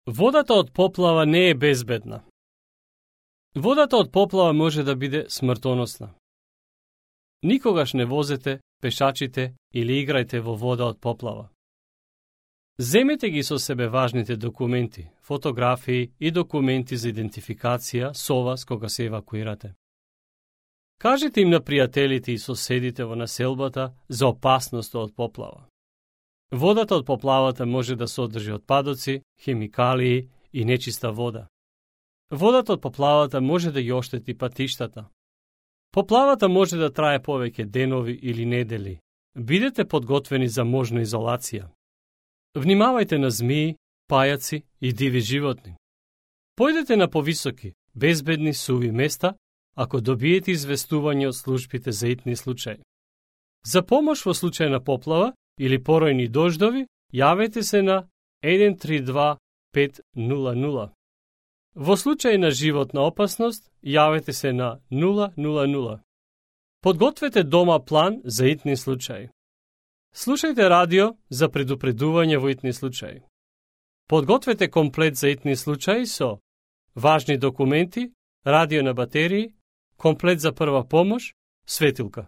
Водата од поплава не е безбедна. Водата од поплава може да биде смртоносна. Никогаш не возете, пешачите или играјте во вода од поплава. Земете ги со себе важните документи, фотографии и документи за идентификација со вас кога се евакуирате. Кажете им на пријателите и соседите во населбата за опасноста од поплава. Водата од поплавата може да содржи отпадоци, хемикалии и нечиста вода. Водата од поплавата може да ја оштети патиштата. Поплавата може да трае повеќе денови или недели. Бидете подготвени за можна изолација. Внимавајте на змии, пајаци и диви животни. Појдете на повисоки, безбедни суви места, ако добиете известување од службите за итни случаи. За помош во случај на поплава или поројни дождови, јавете се на 132 500. Во случај на животна опасност, јавете се на 000. Подгответе дома план за итни случаи. Слушајте радио за предупредување во итни случаи. Подгответе комплет за итни случаи со важни документи, радио на батерии, комплет за прва помош, светилка.